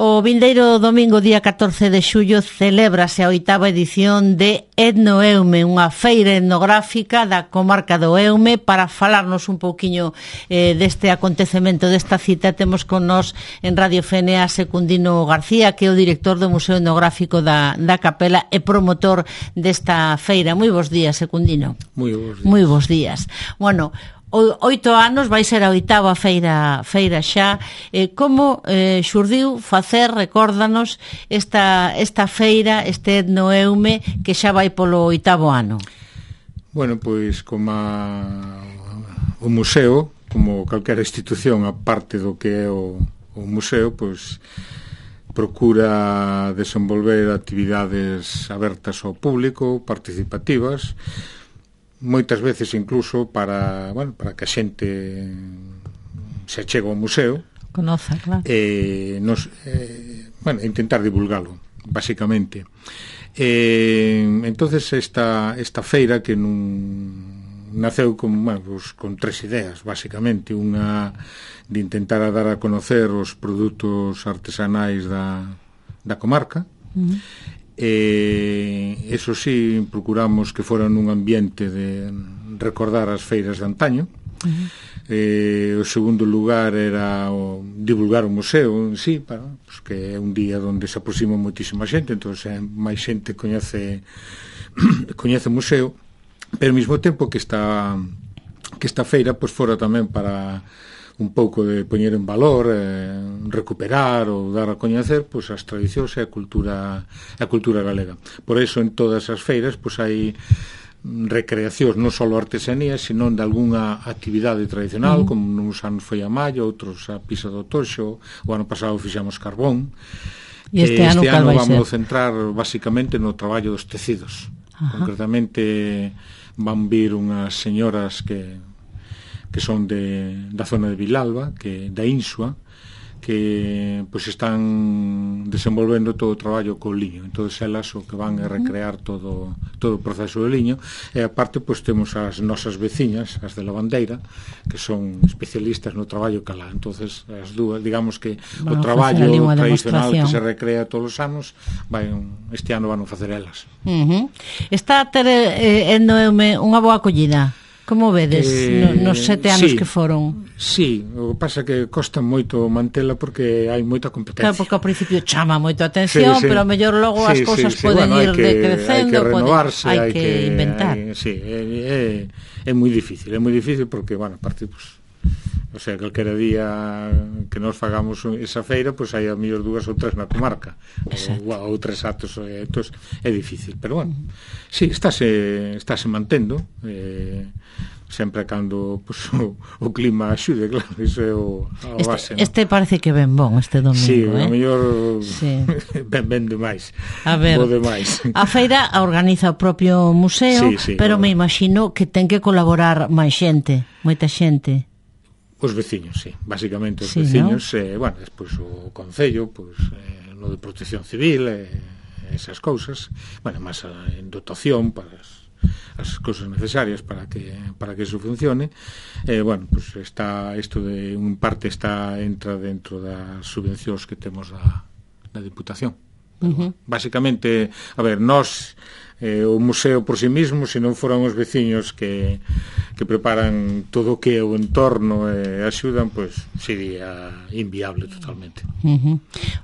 O vindeiro domingo, día 14 de xullo, celébrase a 8ª edición de Etnoeume, unha feira etnográfica da comarca do Eume. Para falarnos un pouquiño deste acontecemento, desta cita, temos con nós en Radio FNA Secundino García, que é o director do Museo Etnográfico da Capela e promotor desta feira. Moi bons días, Secundino. Moi bons días. Moi bons días. Bueno, 8 anos, vai ser a 8ª feira xa. Como xurdiu facer, recórdanos, esta feira, este Etnoeume, que xa vai polo 8º ano? Bueno, pois como o museo, como calquera institución, a parte do que é o museo, pois procura desenvolver actividades abertas ao público, participativas, moitas veces incluso para que a xente se achega ao museo, conoza, claro, intentar divulgalo, basicamente. Entonces esta feira, que naceu con tres ideas, basicamente. Unha de intentar dar a conocer os produtos artesanais da comarca. Eso sí, procuramos que fora nun ambiente de recordar as feiras de antaño. O segundo lugar era divulgar o museo en sí, que é un día onde se aproxima moitísima xente, entón máis xente coñece o museo, pero ao mesmo tempo que esta feira fora tamén para un pouco de poñer en valor, recuperar ou dar a coñecer as tradicións e a cultura galega. Por iso en todas as feiras hai recreacións, non só artesanías, sino de algunha actividade tradicional, como uns anos foi a malla, outros a pisa do toxo, o ano pasado fixamos carbón. E este ano vamos centrar basicamente no traballo dos tecidos. Concretamente van vir unhas señoras que son da zona de Vilalba, da Insua, que están desenvolvendo todo o traballo co liño. Entón elas o que van é recrear todo o proceso do liño, e aparte temos as nosas veciñas, as de Lavandeira, que son especialistas no traballo calá. Entón as dúas, digamos que o traballo tradicional que se recrea todos os anos, este ano van a facer elas. Está a ter Etnoeume unha boa acollida? Como vedes nos 7 anos que foron? Sí, o que pasa é que costa moito mantela porque hai moita competencia. Claro, porque ao principio chama moito a atención, pero ao mellor logo as cousas poden ir decrecendo, hai que renovarse, hai que inventar. É moi difícil porque, aparte, o sea, calquera día que nos fagamos esa feira, hai a mellor 2 ou 3 na comarca, ou 3 actos, entón é difícil, pero sí, estáse mantendo, sempre cando o clima axude, claro, iso é a base. Este parece que ben bon este domingo. Sí, a mellor ben demais. A ver, a feira a organiza o propio museo, pero me imagino que ten que colaborar máis xente, moita xente. Os veciños, sí, basicamente os veciños, despois o Concello, no de Protección Civil, esas cousas, máis en dotación para as cousas necesarias para que iso funcione. Está isto de un parte entra dentro das subvencións que temos da Diputación. Basicamente, nós o museo por si mismo, se non foran os veciños que preparan todo o que é o entorno e axudan, sería inviable totalmente.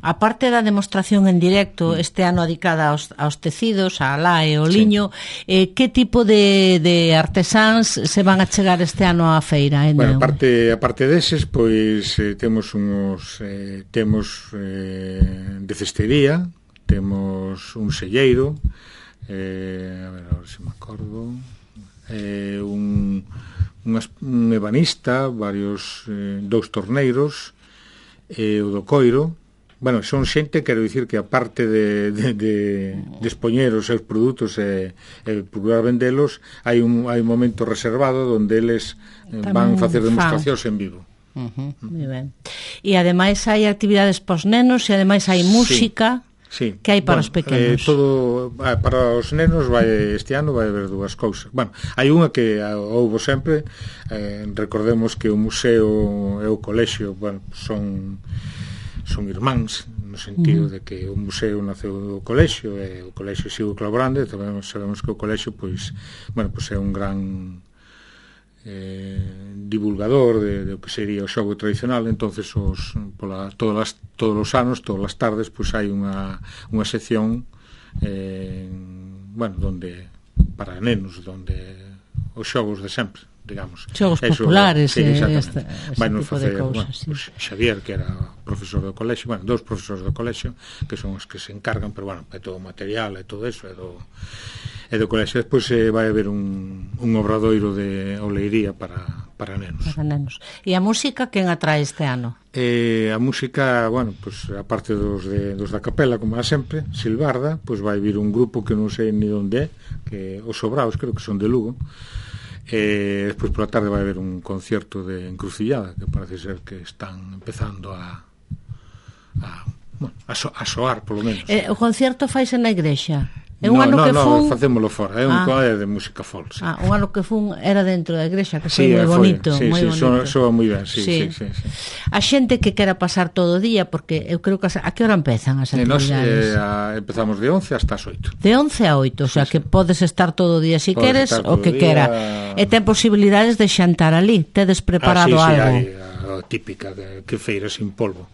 A parte da demostración en directo, este ano dedicada aos tecidos, a lá e o liño, que tipo de artesáns se van a chegar este ano á feira? A parte deses, temos de cestería, temos un selleiro, a ver se me acordo, un ebanista, varios 2 torneiros, o do coiro. Son xente, quero dicir que aparte de expoñer os seus produtos e procurar vendelos, hai un momento reservado onde eles van facer demostracións en vivo. Moi ben. E ademais hai actividades pos nenos e ademais hai música. Sí. Que hai para os pequenos? Para os nenos este ano vai haber 2 cousas. Hai unha que houbo sempre, recordemos que o museo e o colexio son irmáns, no sentido de que o museo naceu do colexio e o colexio sigo colaborando, e tamén sabemos que o colexio pois é un gran divulgador do que sería o xogo tradicional. Entonces todos os anos, todas as tardes, pois hai unha sección donde para nenos, donde os xogos de sempre, digamos. Xogos populares, ese tipo de cousas. Xavier, que era profesor do colexio, dous profesores do colexio, que son os que se encargan, pero é todo o material e todo eso, é do colexio. Despois vai haber un obradoiro de oleiría para nenos. Para nenos. E a música, quen atrae este ano? A música, a parte dos da capela, como é sempre, Silbarda, vai vir un grupo que non sei ni onde é, que os Sobraos, creo que son de Lugo. Despois pola tarde vai haber un concierto de Encrucillada, que parece ser que están empezando a soar, polo menos. O concierto faise na igrexa? Non, facémolo fora, é un colle de música folk, sí. Un ano que fun era dentro da igrexa, que foi moi bonito. Sí, soa moi ben, sí. A xente que quera pasar todo o día, porque eu creo que a que hora empezan as actividades? Empezamos de 11 hasta as 8. De 11 a 8, o sea que podes estar todo o día se queres, o que quera. E ten posibilidades de xantar ali, tedes preparado algo? Sí, a típica, que feira sin polvo.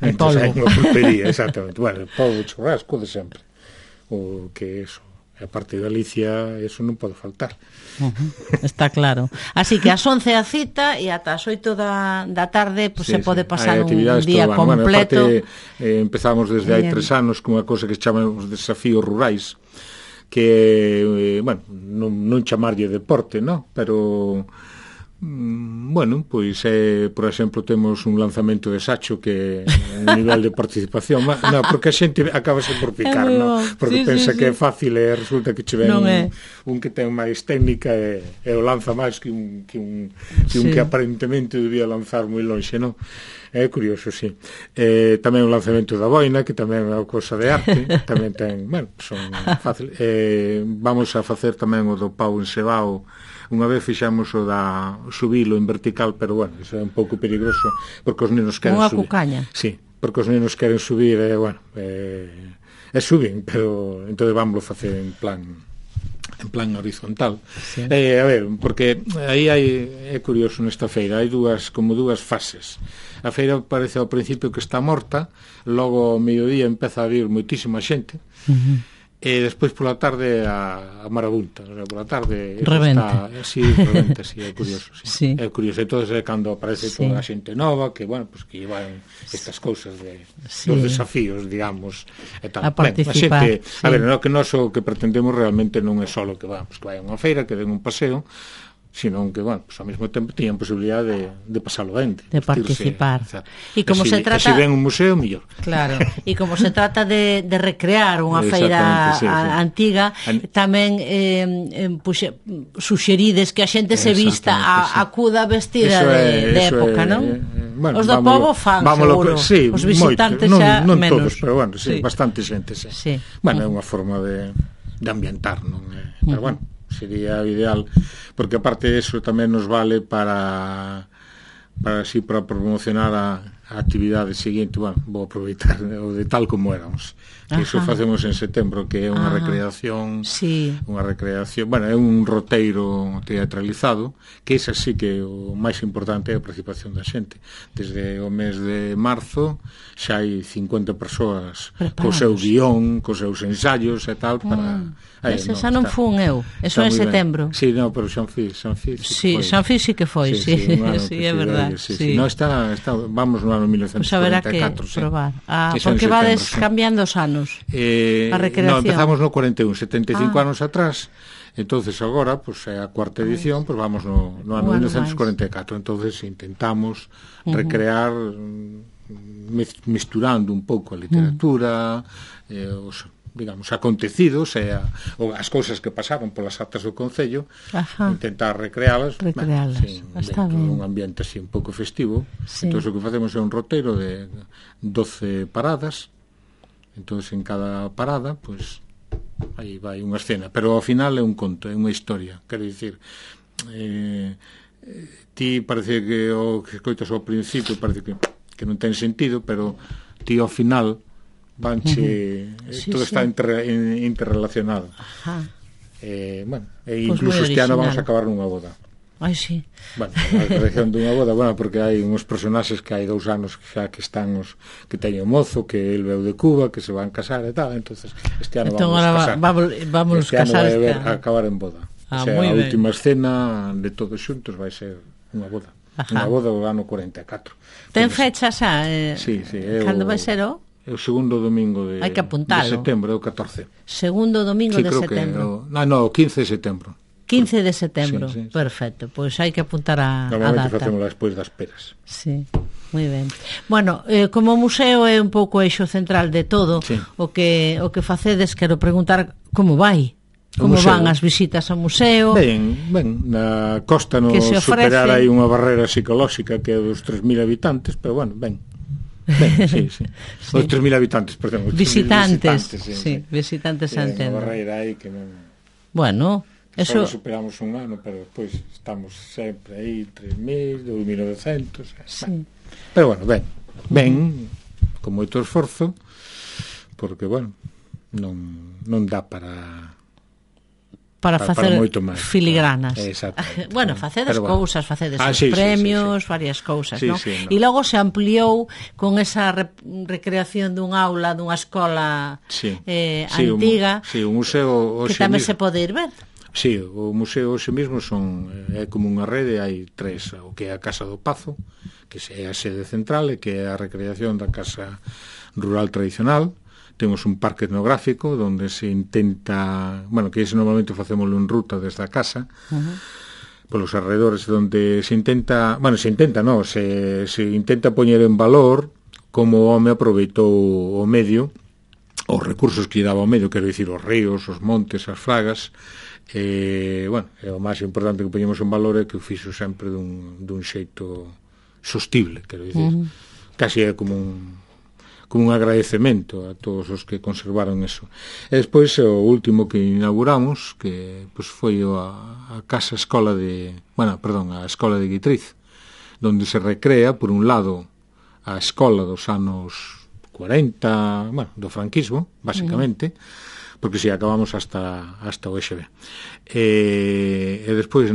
Entón, hai unha pulpería, exactamente. Polvo, churrasco de sempre. O que eso, a parte de Galicia, eso non pode faltar. Está claro. Así que ás 11 a cita e ata as 8 da tarde se pode pasar un día completo. Empezamos desde hai 3 anos con unha cosa que chamamos desafíos rurais, que, non chamarlle deporte, non? Pero por exemplo, temos un lanzamento de sacho que un nivel de participación, porque a xente acabase por picar, porque pensa que é fácil e resulta que che ven un que ten máis técnica e o lanza máis que un que aparentemente debía lanzar moi lonxe, non? É curioso, sí. Tamén o lanzamento da boina, que tamén é unha cousa de arte, tamén ten, son fácil. Vamos a facer tamén o do pau encebao. Unha vez fixamos o da subilo en vertical, pero iso é un pouco peligroso, porque os nenos queren subir. Unha cucaña. Sí, porque os nenos queren subir e suben, pero entón vamos facer en plan horizontal. Sí. A ver, porque aí é curioso nesta feira, hai dúas fases. A feira parece ao principio que está morta, logo ao mediodía empeza a vir moitísima xente, e despois pola tarde a marabunta, pola tarde rebenta. Rebenta, é curioso, sí. É curioso, entonces é cando aparece toda a xente nova que, que llevan estas cousas dos desafíos, digamos, e tal. A participar. A ver, que nós o que pretendemos realmente non é só que vai a unha feira, que den un paseo, sino que, ao mesmo tempo tiñan posibilidade de pasalo ben, de participar. E como se trata... Se ven un museo, mellor. Claro, e como se trata de recrear unha feira antiga, tamén suxerides que a xente se vista, acuda vestida de época, non? Os do povo fan, seguro. Os visitantes xa menos. Non todos, pero bastante xente, sí. É unha forma de ambientar, non? Pero sería ideal, porque aparte de eso tamén nos vale para promocionar a actividade seguinte. Vou aproveitar o de tal como éramos, que iso facemos en setembro, que é unha recreación, é un roteiro teatralizado, que ese sí que o máis importante é a participación da xente. Desde o mes de marzo xa hai 50 persoas co seu guión, cos seus ensaios e tal, para... Ese xa non fun eu, eso en setembro. Sí, pero Xanfi sí que foi, sí, é verdade. Vamos no ano 1944. Pois haberá que probar. Porque vades cambiando os anos, a recreación. Empezamos no 41, 75 anos atrás, entonces agora, é a cuarta edición, vamos no ano 1944, entonces intentamos recrear misturando un pouco a literatura, os acontecidos e as cousas que pasaron polas actas do Concello, intentar recrealas está ben, un ambiente así un pouco festivo. Entón o que facemos é un roteiro de 12 paradas, entón en cada parada aí vai unha escena, pero ao final é un conto, é unha historia, quero dicir, ti parece que o que escoitas ao principio parece que non ten sentido, pero ti ao final vanche, todo está interrelacionado. Bueno, incluso este ano vamos a acabar nunha boda. Ai, sí. Bueno, a creación dunha boda, bueno, porque hai uns personaxes que hai 2 anos xa que están que teñen mozo, que el veu de Cuba, que se van casar e tal, entonces este ano entón, vamos a casar. Vamos este ano casar vai a acabar en boda. O sea, a última escena de todos xuntos vai ser unha boda. Unha boda do ano 44. Ten fecha xa? Sí. Cando vai ser o? É o segundo domingo de setembro, é o 14. Segundo domingo de setembro. No, 15 de setembro. 15 de setembro, sí. Perfecto, pois hai que apuntar a data. Normalmente facemos despois das peras. Sí, moi ben. Bueno, como museo é un pouco o eixo central de todo, sí. o que facedes, quero preguntar como vai? Como van as visitas ao museo? Ben, na costa non superar aí unha barrera psicolóxica que é dos 3.000 habitantes, pero bueno, ben, sí. Os 3.000 habitantes, perdón. Visitantes, sí, visitantes a entendo. Unha barreira aí que non... Bueno... Só superamos un ano, pero despois estamos sempre aí 3.000, 2.900. Sí. Pero bueno, ben, con moito esforzo, porque, bueno, non dá para facer Claro. filigranas. Bueno, facedes cousas, facedes premios, varias cousas, non? E logo se ampliou con esa recreación dun aula, dunha escola antiga, un museo que tamén se pode ir ver. Sí, o museo hoxe mesmo é como unha rede, hai 3, o que é a Casa do Pazo, que é a sede central e que é a recreación da casa rural tradicional. Temos un parque etnográfico onde se intenta, bueno, que ese normalmente facémoslo en ruta desde a casa, polos alrededores, onde se intenta poñer en valor como o home aproveitou o medio, os recursos que lle daba o medio, quero dicir, os ríos, os montes, as fragas. Bueno, o máis importante que poñemos en valor é que o fixo sempre dun xeito sostible, quero dicir, casi é como un agradecemento a todos os que conservaron eso. E despois o último que inauguramos, que pues, foi a casa escola a escola de Guitriz, onde se recrea, por un lado, a escola dos anos 40, bueno, do franquismo, basicamente, porque si acabamos hasta o EXB. E despois,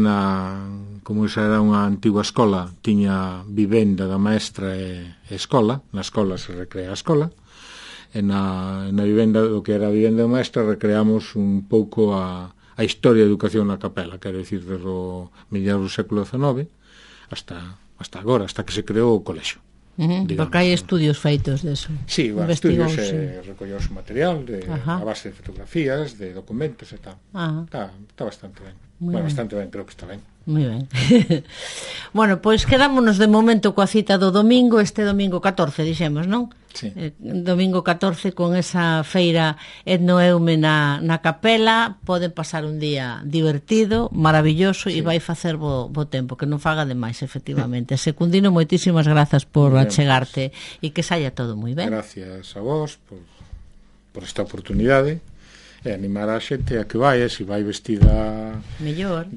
como esa era unha antigua escola, tiña vivenda da maestra e escola, na escola se recrea a escola, e na vivenda, o que era a vivenda da maestra, recreamos un pouco a historia da educación na capela, quero dicir, desde o mediados do século XIX hasta agora, hasta que se creou o colexio. Porque hai estudios feitos deso. Sí, estudios recolleuse material a base de fotografías, de documentos e tal. Está bastante ben. Bastante ben, creo que está ben. Moi ben. Bueno, pois quedámonos de momento coa cita do domingo, este domingo 14, dixemos, non? Sí. Domingo 14 con esa feira Etnoeume na capela, poden pasar un día divertido, maravilloso, e vai facer bo tempo, que non faga demais, efectivamente. Secundino, moitísimas grazas por achegarte e que saia todo moi ben. Gracias a vos por esta oportunidade e animar a xente a que vai, se vai vestida mellor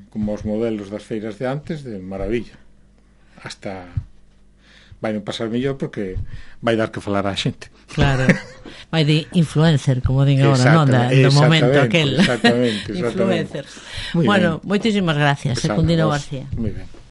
como os modelos das feiras de antes, de maravilla. Hasta vai non pasar mellor porque vai dar que falar a xente. Claro, vai de influencer, como din agora, non? Do momento aquel. Exactamente. Influencers. Bueno, moitísimas gracias, Secundino García. Moi ben.